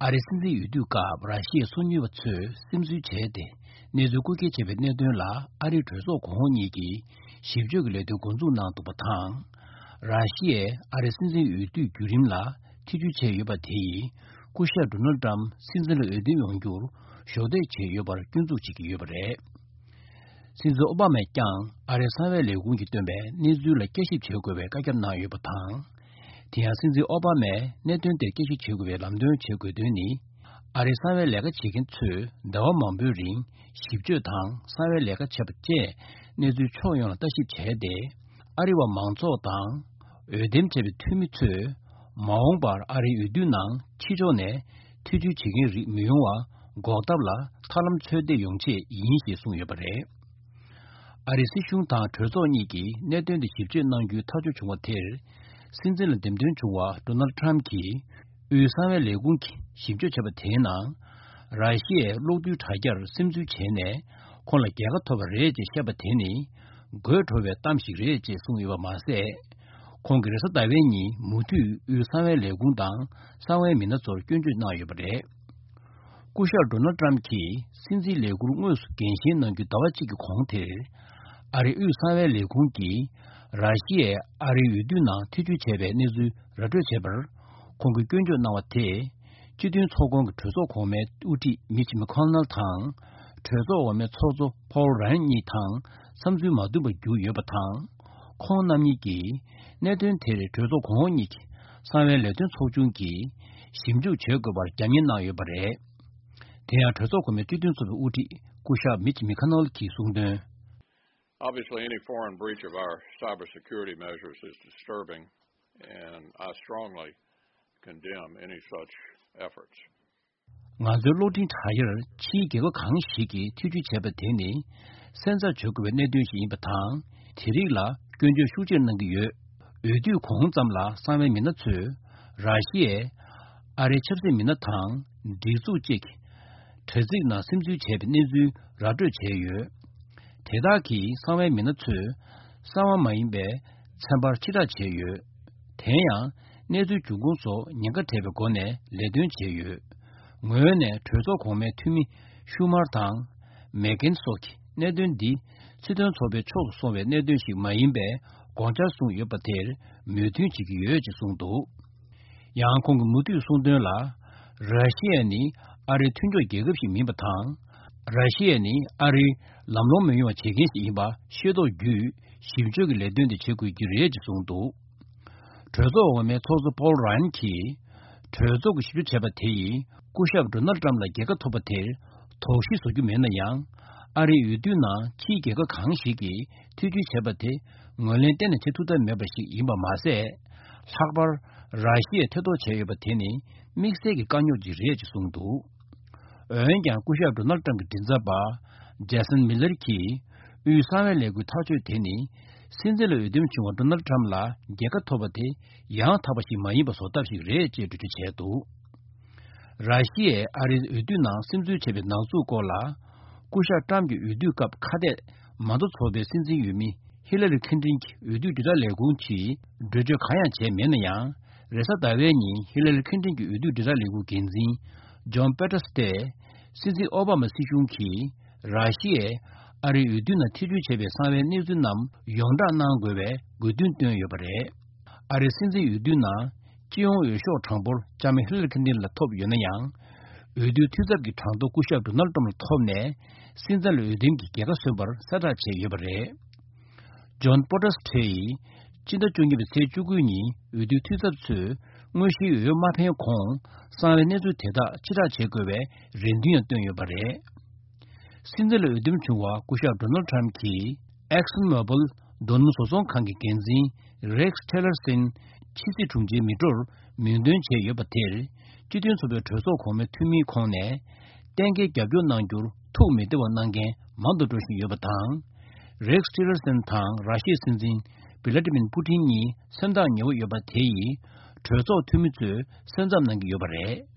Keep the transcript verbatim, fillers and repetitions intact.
ཨ་རིའི་སྲིད་འཛིན་འོས་བསྡུའི་སྐབས་ར་ཤི་ཡའི་སོ་ཉུལ་བ་ཚོས་སིམ་འཛུལ་བྱས་ཏེ་གནས་ཚུལ་རྐུ་འཁྱེར་བྱས་པའི་གནད་དོན་ལ་ཨ་རིའི་གྲོས་ཚོགས་གོང་འོག་གཉིས་ཀྱིས་ཞིབ་དཔྱོད་ཀྱི་ལས་དོན་འགོ་འཛུགས་གནང་འདུག་པ་དང་། ར་ཤི་ཡས་ཨ་རིའི་སྲིད་འཛིན་འོས་བསྡུའི་བརྒྱུད་རིམ་ལ་ཐེ་བྱུས་བྱས་ཡོད་པ་དེ་ཡིས་སྐུ་ཞབས་ཌོ་ནལ་ཏྲམ་སྲིད་འཛིན་ལ་འོས་འདེམས་ཡོང་རྒྱུར་གཞོགས་འདེགས་བྱས་ཡོད་པར་སྐྱོན་འཛུགས་བྱེད་ཀྱི་ཡོད་པ་རེད། སྲིད་འཛིན་ཨོ་བྷ་མས་ཀྱང་ཨ་རིའི་གསང་བའི་ལས་ཁུངས་ཀྱིས་བཏོན་པའི་གནས་ཚུལ་ལ་བསྐྱར་ཞིབ་བྱེད་དགོས་པའི་བཀའ་ཁྱབ་གནང་ཡོད་པ་དང་། དེ་ཡང་སྲིད་འཛིན་ཨོ་བྷ་མས་གནད་དོན་དེར་བསྐྱར་ཞིབ་བྱེད་དགོས་པའི་ལམ་སྟོན་བྱེད་དགོས་དོན་ནི། ཨ་རིའི་གསང་བའི་ལས་ཀ་བྱེད་མཁན་ཚོས་ཟླ་བ་མང་པོའི་རིང་ཞིབ་དཔྱོད་དང་གསང་བའི་ལས་ཀ་བྱས་པ་བཅས་གནས་ཚུལ་ཕྱོགས་ཡོངས་ལ་ལྟ་ཞིབ་བྱས་ཏེ། ཨ་རི་བ་མང་ཚོགས་དང་འོས་འདེམས་བྱས་པའི་འཐུས་མི་ཚོས་མ་འོངས་པར་ཨ་རིའི་འོས་བསྡུ་ནང་ཕྱི་ཕྱོགས་ནས་ཐེ་བྱུས་བྱེད་མཁན་རིགས་མི་ཡོང་བ་འགོག་ཐབས་ལ་ཐབས་ལམ་འཚོལ་བསྡད་ཡོང་ཆེད་ཡིན་ཞེས་གསུངས་ཡོད་པ་རེད། ཨ་རིའི་སྲིད་གཞུང་དང་གྲོས་ཚོགས་གཉིས་ཀྱིས་གནད་དོན་དེ་ཞིབ་དཔྱད་གནང་རྒྱུའི་ཐག་གཅོད་བྱུང་བ་དེར། སྲིད་འཛིན་ལ་འདེམས་ཐོན་བྱུང་བ་ཌོ་ནལ་ཊམ་གྱིས་དབུས་གསང་བའི་ལས་ཁུངས་ཀྱིས་ཞིབ་དཔྱོད་བྱས་པ་དེའི་ནང་། ར་ཤི་ཡའི་གློག་རྡུལ་དྲ་རྒྱར་སིམ་འཛུལ་བྱས་ནས་ཁོང་ལ་རྒྱལ་ཁ་ཐོབ་པ་རེད་ཅེས་བཤད་པ་དེ་ནི་དགོད་བྲོ་བའི་གཏམ་ཞིག་རེད་ཅེས་གསུངས་ཡོད་པ་མ་ཟད། ཁོང་གིས་རེས་གཟའ་ཟླ་བའི་ཉིན་མུ་མཐུད་དབུས་གསང་བའི་ལས་ཁུངས་དང་གསང་བའི་མི་སྣ་ཚོར་སྐྱོན་བརྗོད་གནང་ཡོད་པ་རེད། སྐུ་ཞབས་ཌོ་ནལ་ཊམ་གྱིས་སྲིད་འཛིན་ལས་ཁུར་དངོས་སུ་འགན་བཞེས་གནང་རྒྱུའི་ཟླ་བ་གཅིག་གི་གོང་དེར། ཨ་རིའི་དབུས་གསང་བའི་ལས་ཁུངས་ཀྱིས་ར་ཤི་ཡས་ཨ་རིའི་འོས་བསྡུ་ནང་ཐེ་བྱུས་བྱས་པའི་གནས་ཚུལ་ར་སྤྲོད་བྱས་པར། ཁོང་གིས་སྐྱོན་བརྗོད་གནང་བ་དེས། སྤྱི་མཐུན་ཚོགས་ཁོངས་ཀྱི་གྲོས་ཚོགས་གོང་མའི་དབུ་ཁྲིད་མིཆ་མེ་ཁོ་ནལ་དང་། གྲོས་ཚོགས་འོག་མའི་ཚོགས་གཙོ་ཕོལ་རཱན་གཉིས་དང་བསམ་ཚུལ་མ་མཐུན་པར་གྱུར་ཡོད་པ་དང་། ཁོང་རྣམ་གཉིས་ཀྱིས་གནད་དོན་དེར་གྲོས་ཚོགས་གོང་འོག་གཉིས་ཀྱི་གསང་བའི་ལས་དོན་ཚོགས་ཆུང་གིས་ཞིབ་འཇུག་བྱེད་དགོས་པར་རྒྱབ་གཉེར་གནང་ཡོད་པ་རེད། དེ་ཡང་གྲོས་ཚོགས་གོང་མའི་སྤྱི་མཐུན་ཚོགས་པའི་དབུ་ཁྲིད་སྐུ་ཞབས་མིཆ་མེ་ཁོ་ནལ་གྱིས་གསུངས་དོན། Obviously, any foreign breach of our cybersecurity measures is disturbing, and I strongly condemn any such efforts. ང་ཚོའི་གློག་འཕྲིན་དྲ་རྒྱར་ཕྱིའི་རྒྱལ་ཁབ་གང་ཞིག་གིས་ཐེ་བྱུས་བྱས་པ་དེ་ནི་སེམས་འཚབ་བྱེད་དགོས་པའི་གནད་དོན་ཞིག་ཡིན་པ་དང་། དེ་རིགས་ལ་སྐྱོན་བརྗོད་ཤུགས་ཆེར་གནང་གི་ཡོད། འོས་བསྡུའི་གོང་ཙམ་ལ་གསང་བའི་མི་སྣ་ཚོས་ར་ཤི་ཡའི་ཨ་རིའི་ཆབ་སྲིད་མི་སྣ་དང་སྒྲིག་འཛུགས་གཅིག་གི་དྲ་ཚིགས་ནང་སིམ་འཛུལ་བྱས་པའི་གནས་ཚུལ་ར་སྤྲོད་བྱས་ཡོད། དེ་དག་གིས་གསང་བའི་མི་སྣ་ཚོས་གསང་བ་མ་ཡིན་པའི་ཚན་པར་ཕྱིར་བསྒྲགས་བྱས་ཡོད། དེ་ཡང་གནས་ཚུལ་འབྱུང་ཁུངས་སོགས་ཉེན་ཁ་བྲལ་བའི་སྒོ་ནས་ལས་དོན་བྱས་ཡོད། ངོས་ནས་གྲོས་ཚོགས་གོང་མའི་འཐུས་མི་ཤུ་མར་དང་མེ་ཀེན་སོགས་ཀྱིས་གནད་དོན་འདི་སྲིད་དོན་ཚོགས་པའི་ཕྱོགས་སུ་སོང་བའི་གནད་དོན་ཞིག་མ་ཡིན་པའི་དགོངས་འཆར་བཟུང་ཡོད་པ་དེར་མོས་མཐུན་བྱེད་ཀྱི་ཡོད་ཅེས་གསུངས་འདུག། ཡང་ཁོང་གིས་མུ་མཐུད་གསུངས་དོན་ལ། ར་ཤི་ཡ་ནི་ཨ་རིའི་མཐུན་ཕྱོགས་རྒྱལ་ཁབ་ཞིག་མིན་པ་དང་། ར་ཤི་ཡ་ནི་ཨ་རིའི་ལམ་ལྷོང་མི་ཡོང་བ་བྱེད་མཁན་ཞིག་ཡིན་པ་ཤེས་རྟོགས་བརྒྱུད་ཞིབ་དཔྱོད་ཀྱི་ལས་དོན་དེ་བྱེད་དགོས་ཀྱི་རེད་ཅེས་གསུངས་འདུག། གྲོས་ཚོགས་འོག་མའི་ཚོགས་གཙོ་པོལ་རཱན་གྱིས། གྲོས་ཚོགས་ཀྱིས་ཞིབ་དཔྱོད་བྱས་པ་དེ་ཡིས་སྐུ་ཞབས་ཌོ་ནལ་ཏྲམ་ལ་རྒྱལ་ཁ་ཐོབ་པ་དེར་དོགས་གཞི་བཟོ་རྒྱུ་མེད་ན་ཡང་། ཨ་རིའི་འོས་བསྡུ་ནང་ཕྱིའི་རྒྱལ་ཁབ་གང་ཞིག་གིས་ཐེ་བྱུས་བྱས་པ་དེ་ངོས་ལེན་གཏན་ནས་བྱེད་ཐུབ་ཐབས་མེད་པ་ཞིག་ཡིན་པ་མ་ཟད། ལྷག་པར་ར་ཤི་ཡས་ཐེ་གཏོགས་བྱས་ཡོད་པ་དེ་ནི་དམིགས་བསལ་གྱི་དཀའ་རྙོག་ཅིག་རེད་ཅེས་གསུངས་འདུག། འོན་ཀྱང་སྐུ་ཞབས་ཌོ་ནལ་ཏྲམ་གྱི་མགྲིན་ཚབ་པ་ཇེ་སན་མི་ལར་གྱིས་དབུས་གསང་བའི་ལས་འགུལ་ཐག་གཅོད་དེ་ནི་སྲིད་འཛིན་ལ་འོས་འདེམས་བྱུང་བ་ཌོ་ནལ་ཏྲམ་ལ་རྒྱལ་ཁ་ཐོབ་པ་དེ་ཡང་དག་པ་ཞིག་མ་ཡིན་པ་བཟོ་ཐབས་ཤིག་རེད་ཅེས་འགྲེལ་བརྗོད་བྱས་འདུག། ར་ཤི་ཡས་ཨ་རིའི་འོས་བསྡུ་ནང་སིམ་འཛུལ་བྱས་པའི་ནག་འཛུགས་སྐོར་ལ། སྐུ་ཞབས་ཏྲམ་གྱི་འོས་བསྡུ་སྐབས་ཁ་གཏད་མ་རྡོ་ཚོགས་པའི་སྲིད་འཛིན་འོས་མི་ཧི་ལ་རི་ཁིན་ཏིན་གྱི་འོས་བསྡུ་དྲིལ་བསྒྲགས་ལས་ཁུངས་ཀྱིས་འགྲེལ་བརྗོད་གང་ཡང་བྱས་མེད་ན་ཡང་། རེས་གཟའ་ཟླ་བའི་ཉིན་ཧི་ལ་རི་ཁིན་ཏིན་གྱི་འོས་བསྡུ་དྲིལ་བསྒྲགས་ལས་ཁུངས་འགན་འཛིན་ཇོན་པེ་ཏྲ་སི་ཏེ། སྲིད་འཛིན་ཨོ་བྷ་མ་སྲིད་གཞུང་གིས་ར་ཤི་ཡས་ཨ་རིའི་འོས་བསྡུ་ནང་ཐེ་བྱུས་བྱས་པའི་གསང་བའི་གནས་ཚུལ་རྣམས་ཡོངས་བསྒྲགས་གནང་དགོས་པའི་དགོས་འདུན་བཏོན་ཡོད་པ་རེད། ཨ་རིའི་སྲིད་འཛིན་འོས་བསྡུ་ནང་སྤྱི་ཡོངས་འོས་ཤོག་གྲངས་འབོར་ལྕམ་ཧི་ལ་རི་ཁིན་ཏིན་ལ་ཐོབ་ཡོད་ན་ཡང་། འོས་བསྡུའི་འཐུས་ཚབ་ཀྱི་གྲངས་ཐོ་སྐུ་ཞབས་ཌོ་ནལ་ཏྲམ་ལ་ཐོབ་ནས། སྲིད་འཛིན་ལ་འོས་འདེམས་ཀྱི་རྒྱལ་ཁ་སོན་པར་གསལ་བསྒྲགས་བྱས་ཡོད་པ་རེད། ཇོན་པོ་ཏྲ་སི་ཏྲེ་ཡིས་སྤྱི་ཟླ་བཅུ་གཉིས་པའི་ཚེས་བཅུ་དགུ་ཉིན་འོས་བསྡུའི་འཐུས་ཚབ་ཚོས་དངོས་གཞིའི་འོས་མ་འཕེན་གོང་གསང་བའི་གནས་ཚུལ་དེ་དག་ཕྱིར་བསྒྲགས་བྱེད་དགོས་པའི་རེ་འདུན་ཡང་བཏོན་ཡོད་པ་རེད། སྲིད་འཛིན་ལ་འོས་འདེམས་བྱུང་བ་སྐུ་ཞབས་ཌོ་ནལ་ཏྲམ་གྱིས་ཨེག་སོན་མོ་བིལ་རྡོ་སྣུམ་བཟོ་ཚོང་ཁང་གི་འགན་འཛིན་རེགས་ཊེ་ལར་སོན་ཕྱི་སྲིད་དྲུང་ཆེའི་མི་འགྲོར་མིང་འདོན་བྱས་ཡོད་པ་དེར། སྤྱི་མཐུན་ཚོགས་པའི་གྲོས་ཚོགས་གོང་མའི་འཐུས་མིའི་ཁོངས་ནས་གཏན་འཁེལ་རྒྱབ་སྐྱོར་གནང་རྒྱུར་ཐུགས་མི་བདེ་བ་གནང་མཁན་མང་དུ་འགྲོ་བཞིན་ཡོད་པ་དང་། རེགས་ཊེ་ལར་སོན་དང་ར་ཤི་ཡའི་སྲིད་འཛིན་བི་ལ་ཏི་མིར་པུ་ཏིན་གཉིས་སེམས་ཐག་ཉེ་བོ་ཡོད་པ་དེ་ཡིས་གྲོས་ཚོགས་འཐུས་མི་ཚོས་སེམས་འཚབ་གནང་གི་ཡོད་པ་རེད།